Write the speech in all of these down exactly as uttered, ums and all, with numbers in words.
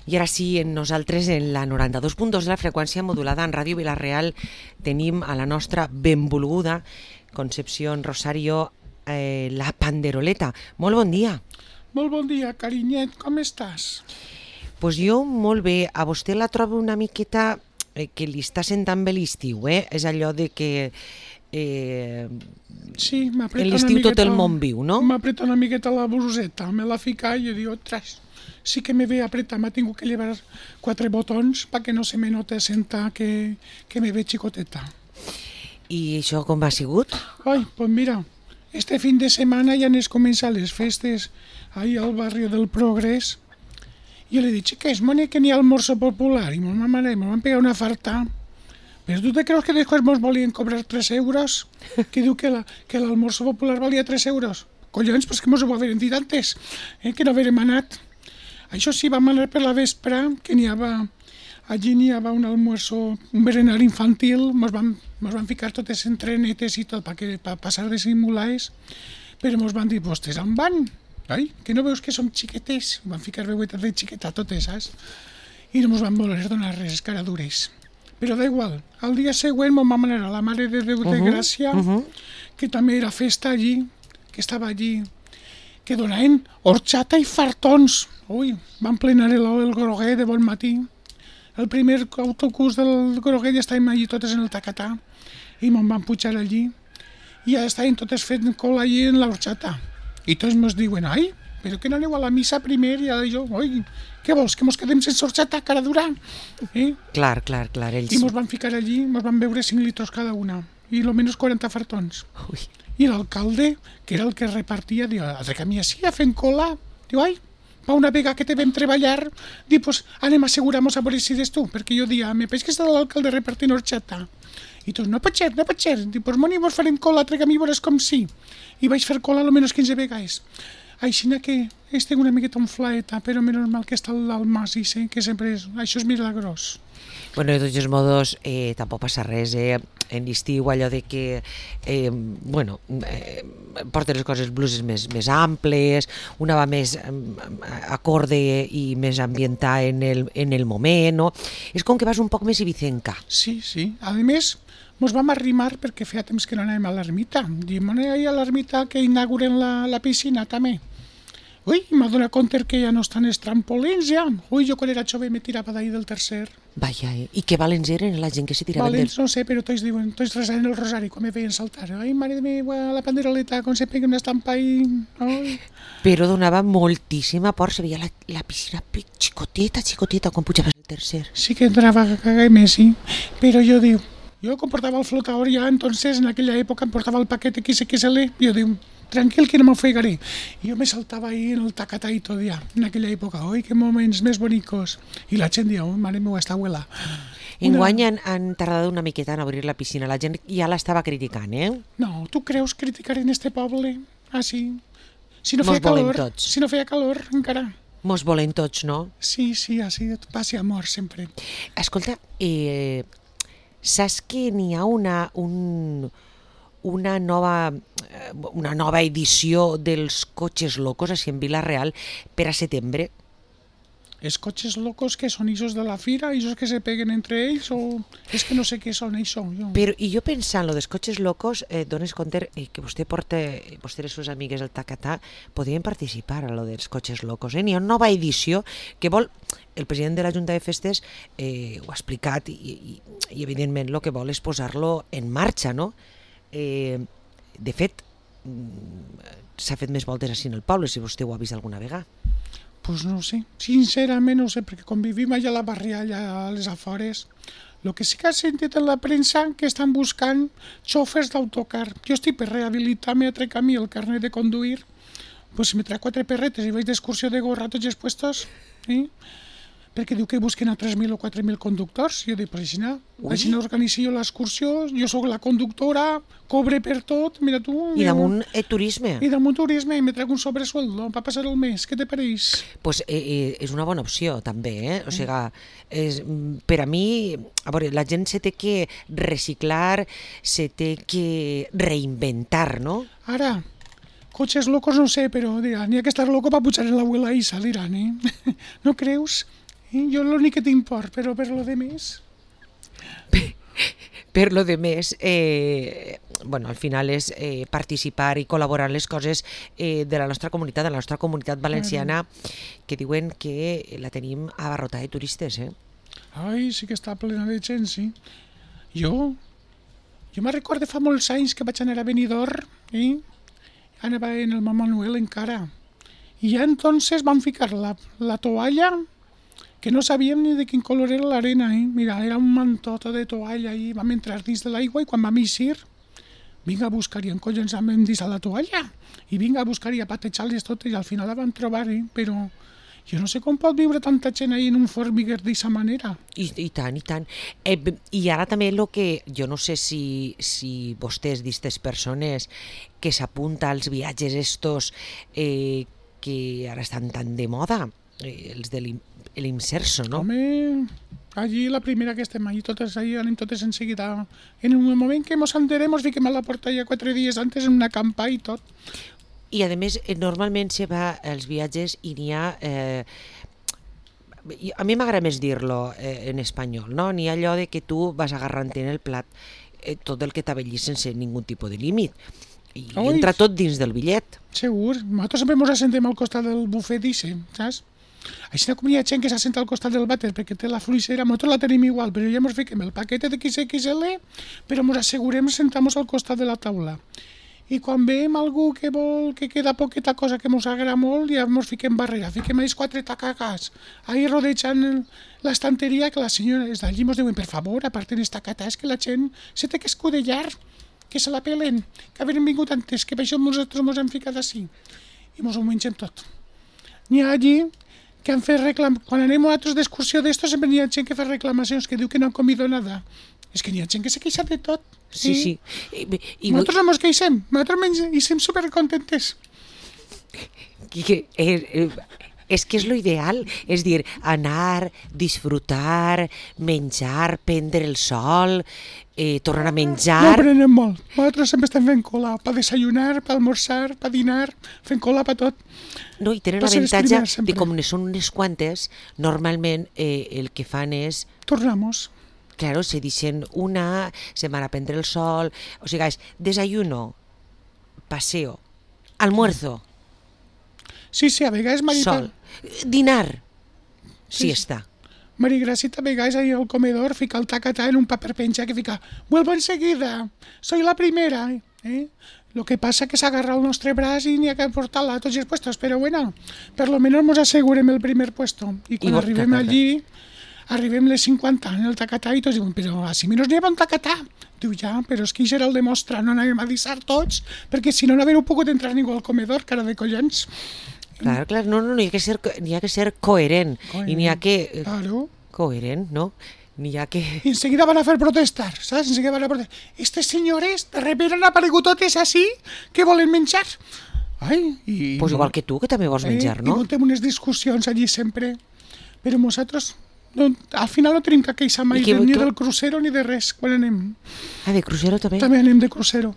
I ara sí, nosaltres en la noranta-dos punt dos de la freqüència modulada en Ràdio Vila-real tenim a la nostra benvolguda Concepción Rosario, eh, la panderoleta. Molt bon dia. Molt bon dia, carinyet, com estàs? Pues jo molt bé. A vostè la trobo una miqueta eh, que li està sentant bé l'estiu, eh? És allò de que eh, sí, en l'estiu tot el món viu, no? M'apreta una miqueta la bluseta, me la fica i jo dic, ostres, sí que me ve apretar, m'ha tingut que llevar quatre botons perquè no se me note sentar que, que me ve xicoteta. I això com ha sigut? Ai, pues mira, este fin de semana ja n'és començar les festes ahí al barri del Progrés. Jo li dic, xiques, mone que n'hi ha almuerzo popular, i ma mare me van pegar una farta. Però tu te creus que després mos volien cobrar tres euros? Que diu que, la, que l'almuerzo popular valia tres euros? Collons, pues que mos ho haver dit antes, eh, que no haverem anat. Això sí, vam anar per la vespre, que n'hi havia, allí n'hi havia un almuerzo, un berenar infantil, mos van, mos van ficar totes en trenetes i tot, per pa passar de simulars, però mos van dir, vostès on van? Ai, que no veus que som xiquetes? Van ficar veuetes de xiqueta totes, saps? I no mos van voler donar res, caradures. Però da igual, al dia següent mos vam anar a la Mare de Déu de uh-huh, Gràcia, uh-huh. que també era festa allí, que estava allí, que donaven horchata i fartons. Ui, van plenar el, el groguer de bon matí. El primer autobús del groguer ja estàvem allí totes en el tacatà i me'n van pujar allí i ja estàvem totes fent cola allí en l'horchata. I tots ens diuen, ai, però que no aneu a la missa primer? I jo, oi, què vols, que mos quedem sense horchata, cara dura? Eh? Clar, clar, clar. Ells... I mos van ficar allí, mos van beure cinc litros cada una i almenys quaranta fartons. Ui. I l'alcalde, que era el que repartia, diu, altre camí així, a fent cola. Diu, ai, pa una vegada que te vam treballar, diu, pues anem a assegurar-nos a veure si eres tu, perquè jo dia, me peix que està l'alcalde repartint horchata. I tots, no pot ser, no pot ser. Diu, pues moni, vos farem cola, altre camí, veuràs com sí. I vaig fer cola almenys quinze vegades. Així que estic una miqueta enflaeta, però menys mal que està l'Almas i sé que sempre és, això és milagrós. Bueno, de tots els modos, eh, tampoc passa res, eh? En l'estiu allò de que, eh, bueno, eh, porten les coses bluses més, més amples, una va més eh, acorde i més ambientada en el, en el moment, no? És com que vas un poc més ibicenca. Sí, sí. A més, mos vam arrimar perquè feia temps que no anàvem a l'ermita. Diem, anem ahir a l'ermita que inauguren la, la piscina també. Ui, m'ha donat compte que ja no estan els trampolins ja. Ui, jo quan era jove me tirava d'ahir del tercer. Vaja, eh? I que valents eren la gent que se tiraven valents, del... no sé, però tots diuen, tots resaven el rosari quan me veien saltar. Ai, mare meva, la panderoleta, com se pega una estampa i... Ai. Però donava moltíssima por, se veia la, la piscina xicoteta, xicoteta, quan pujaves el tercer. Sí que entrava a cagar més, sí. Però jo diu, jo com portava el flotador ja, entonces en aquella època em portava el paquet X X L, jo diu, tranquil que no m'ofegaré. I jo me saltava ahí en el tacatà i tot ja, en aquella època. Oi, que moments més bonicos. I la gent diu, oh, mare meva, està abuela. Enguany han, han tardat una miqueta en obrir la piscina. La gent ja l'estava criticant, eh? No, tu creus criticar en este poble? Ah, sí. Si no Mos feia calor, tots. si no feia calor, encara. Mos volem tots, no? Sí, sí, així, paz i amor, sempre. Escolta, eh, saps que n'hi ha una... un... una nova, una nova edició dels Cotxes Locos així en Vila-real per a setembre? Els cotxes locos que són ixos de la fira, ixos que se peguen entre ells, o és que no sé què són això. Jo. Però i jo pensant, lo dels Cotxes Locos, eh, dones compte eh, que vostè porta, vostè i les seves amigues del Tacatà podien participar a lo dels Cotxes Locos. Eh? N'hi ha una nova edició que vol, el president de la Junta de Festes eh, ho ha explicat i, i, i evidentment el que vol és posar-lo en marxa, no? Eh, de fet, s'ha fet més voltes així en el poble, si vostè ho ha vist alguna vegada. Pues no sé, sincerament no sé, perquè quan vivim allà a la barrià, allà a les afores, el que sí que ha sentit en la premsa que estan buscant xòfers d'autocar. Jo estic per rehabilitar-me a trecar a mi el carnet de conduir, pues me trac quatre perretes i vaig d'excursió de gorra tots els puestos, eh? Perquè diu que busquen a tres mil o quatre mil conductors. Jo dic, però així no, així no organitzo jo l'excursió, jo sóc la conductora, cobre per tot, mira tu... I damunt eh, turisme. I damunt turisme, i me trec un sobresueldo per passar el mes, què te pareix? Pues eh, eh, és una bona opció també, eh? O sigui, és, per a mi, a veure, la gent se té que reciclar, se té que reinventar, no? Ara, cotxes locos no sé, però dirà, n'hi ha que estar loco per pujar en l'abuela Isa, diran, eh? No creus? I jo l'únic que tinc por, però per lo de més... Per lo de més, eh, bueno, al final és eh, participar i col·laborar en les coses eh, de la nostra comunitat, de la nostra comunitat valenciana, que diuen que la tenim abarrotada de turistes, eh? Ai, sí que està plena de gent, sí. Jo, jo me'n recordo fa molts anys que vaig anar a Benidorm, eh? Anava en el Mama Noel encara. I ja entonces van ficar la, la toalla, que no sabíem ni de quin color era l'arena, eh? Mira, era un mantota de toalla i vam entrar dins de l'aigua i quan vam eixir, vinga a buscar i en collons vam dins a la toalla i vinga a buscar i a patejar-les totes i al final la vam trobar, eh? Però jo no sé com pot viure tanta gent ahí en un formiguer d'aquesta manera. I, i tant, i tant. Eh, I ara també el que, jo no sé si, si vostès, d'estes persones que s'apunta als viatges estos eh, que ara estan tan de moda, eh, els de l'Imserso, no? Home, allí la primera que estem allí, totes allí anem totes en seguida. En un moment que mos enterem, mos fiquem a la porta ja quatre dies antes en una campa i tot. I a més, normalment se va als viatges i n'hi ha... Eh, a mi m'agrada més dir-lo eh, en espanyol, no? N'hi ha allò de que tu vas agarrant en el plat eh, tot el que t'avellis sense ningú tipus de límit. I Oi. entra tot dins del bitllet. Segur. Nosaltres sempre ens assentem al costat del bufet d'Ixe, saps? Així com hi ha gent que s'assenta al costat del vàter perquè té la fluixera, nosaltres la tenim igual, però ja ens fiquem el paquet de X X L, però ens assegurem sentar-nos al costat de la taula. I quan veiem algú que vol que queda poqueta cosa que ens agrada molt, ja ens fiquem barrera, fiquem els quatre tacacas, ahí rodejant l'estanteria, que la senyora des d'allí ens diuen, per favor, aparten esta cata, és que la gent se té que escudellar, que se la pelen, que havien vingut antes, que per això nosaltres ens hem ficat així. I ens ho mengem tot. N'hi ha allí que han fet reclam... Quan anem nosaltres d'excursió d'estos sempre n'hi ha gent que fa reclamacions, que diu que no han comido nada. És que n'hi ha gent que se queixa de tot. Sí, sí. I, i nosaltres no ens queixem, nosaltres menys, i estem supercontentes. Que, eh, és que és lo ideal, és dir, anar, disfrutar, menjar, prendre el sol, eh, tornar a menjar... No prenem molt, nosaltres sempre estem fent cola, per desayunar, per almorzar, per dinar, fent cola per tot. No, i tenen l'avantatge de com ne són unes quantes, normalment eh, el que fan és... Tornamos. Claro, se deixen una, se van a prendre el sol, o sigui, és desayuno, paseo, almuerzo, sí, sí, a vegades Marita... sol, dinar, sí, siesta. Marigracita a vegades ahí al comedor fica el tacatà en un paper penja que fica «Vuelvo enseguida, soy la primera». ¿eh? Lo que pasa que s'agarra el nostre braç i n'hi ha que portar-la a tots els puestos, però bueno, per lo menos nos asegurem el primer puesto. I quan I arribem tacatà. Allí, arribem les cinquanta en el tacatà i tots diuen «Però així menys n'hi ha un tacatà». Diu ja, però és que això era el de mostra, no anàvem a dissar tots, perquè si no no haver pogut entrar ningú al comedor, cara de collons. Clar, clar, no, no, n'hi ha que ser, n'hi ha que ser coherent, coherent. I n'hi ha que... Eh, claro. Coherent, no? N'hi ha que... I enseguida van a fer protestar, saps? Enseguida van a protestar. Estes senyores de repente han aparegut totes així que volen menjar. Ai, i... Pues igual que tu, que també vols menjar, eh, no? I muntem unes discussions allí sempre. Però nosaltres, no, al final no tenim que queixar mai que, ni que... del crucero ni de res, quan anem. Ah, de crucero també? També anem de crucero.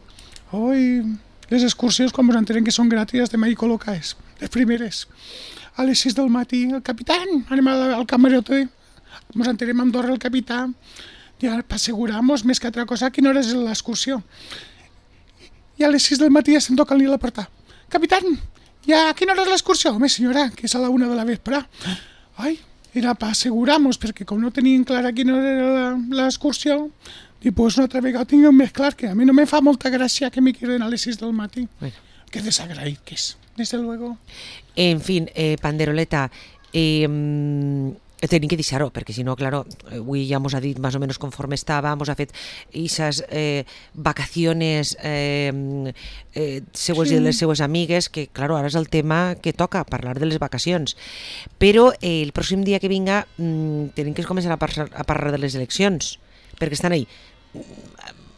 Oi, les excursions, quan ens entenem que són gràcies, estem ahí col·locades, les primeres. A les sis del matí, el capitán, anem al, al camarote, ens enterem a Andorra el capità, ja asseguramos més que altra cosa a quina hora és l'excursió. I a les sis del matí ja estem tocant-li a la porta. Capitán, ja a quina hora és l'excursió? Home, senyora, que és a la una de la vespre. Ai, era per assegurar-nos, perquè com no tenien clara quina hora era l'excursió, i pues una altra vegada tinguem més clar que a mi no me fa molta gràcia que me queden a les sis del matí. Bueno. Que desagraït que és, desde luego. En fin, eh, Panderoleta, eh, tenim que deixar-ho, perquè si no, claro, avui ja mos ha dit més o menys conforme estava, mos ha fet aquestes eh, vacaciones eh, eh, seues sí. i de les seues amigues, que, claro, ara és el tema que toca, parlar de les vacacions. Però eh, el pròxim dia que vinga mm, tenim que començar a, par a parlar de les eleccions, perquè estan ahí.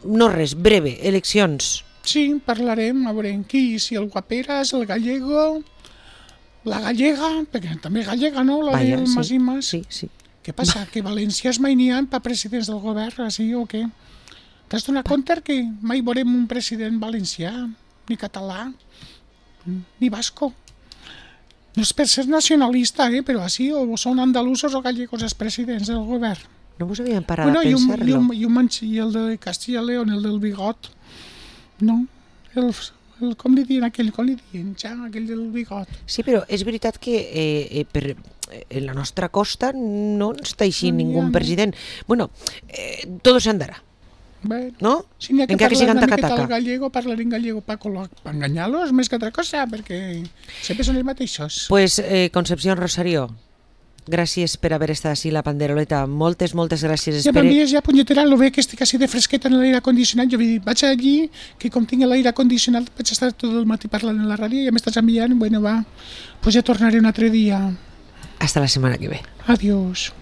No res, breve, eleccions. Sí, parlarem, a veure qui, si el Guaperas, el Gallego... La gallega, perquè també és gallega, no? La Vaya, del sí, Mas i Mas. Sí, sí. Què passa? Que valencians mai n'hi ha per presidents del govern, així o què? T'has donat compte que mai veurem un president valencià, ni català, ni basco? No és per ser nacionalista, eh? Però així o són andalusos o gallegos els presidents del govern. No vos havíem parat Bueno, a i, un, i, pensar-lo. un, i, un manx, i el de Castilla y León, el del bigot, no, el, el, com li diuen aquell, com li diuen, ja, aquell del bigot. Sí, però és veritat que eh, eh, per, en la nostra costa no està així No n'hi ha, ningú no. president. Bueno, eh, todo se andarà, Bé, no? si n'hi ha que Encara que parlar sigan una miqueta taca-taca. el gallego, parlar en gallego per enganyar-los més que altra cosa, perquè sempre són els mateixos. Pues eh, Concepción Rosario, gràcies per haver estat així la panderoleta. Moltes, moltes gràcies. Ja Espere... m'envies ja, punyetera, lo bé que estic així de fresqueta en l'aire condicionat. Jo vaig allí, que com tinc l'aire condicionat vaig estar tot el matí parlant en la ràdio i ja m'estàs enviant, bueno, va, pues ja tornaré un altre dia. Hasta la setmana que ve. Adiós.